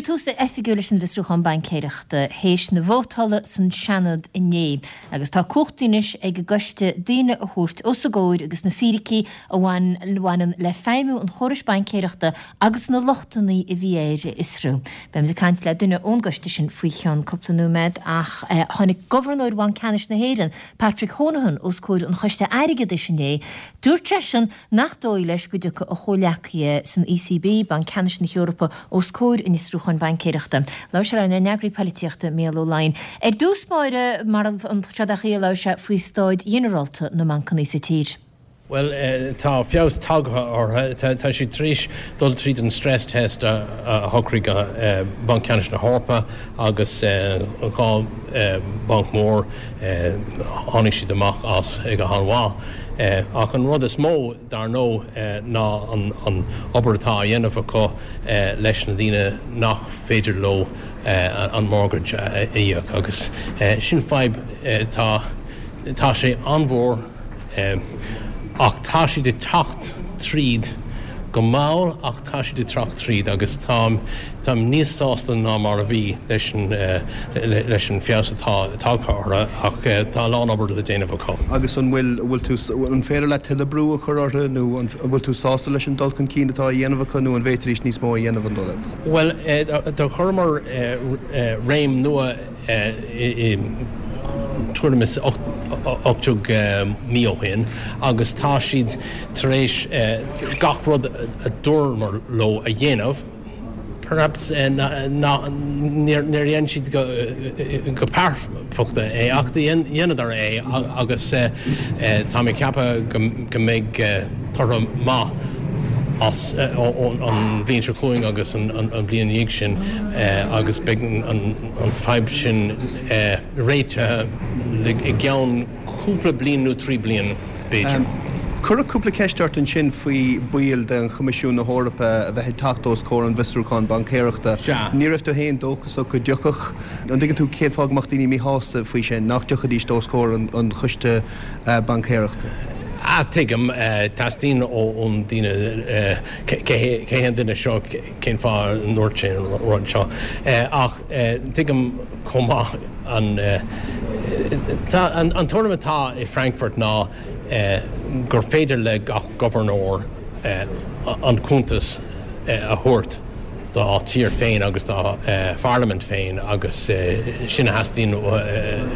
Cuireadh tús oifigiúil leis an bhfiosrúchán baincéireachta théis na vótála san Seanad inné agus tá cumhachtaí anois ag an gcoiste daoine a thabhairt os a gcomhair agus na fíricí a bhaineann le feidhmiú an chórais baincéireachta agus na lochtanna a bhí air a fhiosrú. Beimid ag caint le duine ón gcoiste sin faoi cheann cúpla nóiméad ach tháinig Gobharnóir Bhanc Ceannais na hÉireann, Patrick Honohan, os comhair an Choiste Airgeadais inné. Dúirt seisean nach dóigh leis go dtiocfaidh a chomhleacaithe san ECB, Banc Ceannais na hEorpa, os comhair an fhiosrúcháin baincéireachta. Labhair sé lenár n-eagraí poilitíochta, Mícheál Ó Laighin. Ar dtús báire, mar an tseod a labhair sé faoi staid ghinearálta na mbancanna sa tír. Bhuel, tá feabhas tagtha orthu. Tá siad tar éis dul tríd an stress test a shocraigh Banc Ceannais na hEorpa agus 2 bhanc mór, tháinig siad amach as go han-mhaith. Ach an rud is mó, dar ndóigh, ná an obair atá á dhéanamh acu leis na daoine nach féidir leo an mortgage a íoc. Agus sin fadhb, tá sé an-mhór. Ach tá siad ag teacht tríd, go mall ach tá siad ag teacht tríd agus táim, táim níos sásta ná mar a bhí leis an, leis an feabhas atá tagtha orthu ach tá a lán obair le déanamh acu. Agus an bhfuil, an bhfuil tú, an féidir leat tuilleadh brú a chur orthu nó an bhfuil tú sásta leis an dul chun cinn atá á dhéanamh acu nó an bhféadfaidís níos mó a dhéanamh an dóigh leat? Bhuel, do chuireamar réim nua i tuairim is 18 mí ó shin agus tá siad tar éis gach rud a dúramar leo a dhéanamh, perhaps níor dhein siad go pearfachta é ach dheineadar é agus tá mé ag ceapadh go mbeidh toradh maith as an bhliain seo chugainn agus an bhliain ina dhiaidh sin agus beidh an an fadhb sin réitithe i gceann cúpla bliain nó 3 bliain, b'fhéidir. Cuireadh cúpla ceist ort ansin faoi baill de Choimisiún na hEorpa a bheith ag teacht os comhair an bhfiosrúcháin baincéireachta. Sea. Ní raibh tú féin dóchasach go dtiocfadh. An dtuigeann tú cén fáth go mbeadh daoine míshásta faoi sin, nach dtiocfaidís os comhair an choiste baincéireachta? Ah, tuigim. Teastaíonn ón daoine cé hé an duine seo, cén fáth a ndúirt sé an rud seo. Ach tuigim chomh maith an an tuairim atá i Frankfurt ná gur féidir le gach gobharnóir an cuntas a thabhairt dá tír féin agus dá pharlaimint féin agus sin a theastaíonn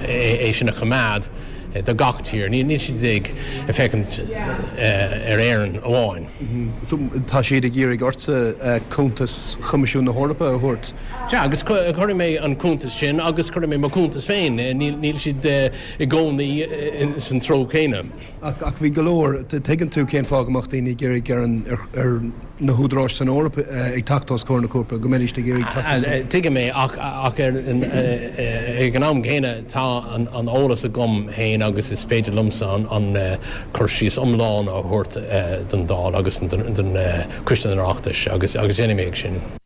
é sin a choimeád do gach tír. Níl siad ag féachaint ar Éirinn amháin. Tá siad ag iarraidh ortsa cuntas Choimisiún na hEorpa a thabhairt. Sea, agus cuirfidh mé an cuntas sin agus cuirfidh mé mo chuntas féin. Níl siad i gcónaí san treo céanna. Ach bhí go leor, tuigeann tú cén fáth go mbeadh daoine ag iarraidh ar na húdaráis san Eoraip ag teacht os comhair na cúirte, go mbeidís ag iarraidh teacht os comhair. Tuigim é, ach ag an am céanna tá an eolas agam féin agus is féidir liomsa an cur síos iomlán a thabhairt don Dáil agus don Choiste an Oireachtais agus déanfaidh mé sin.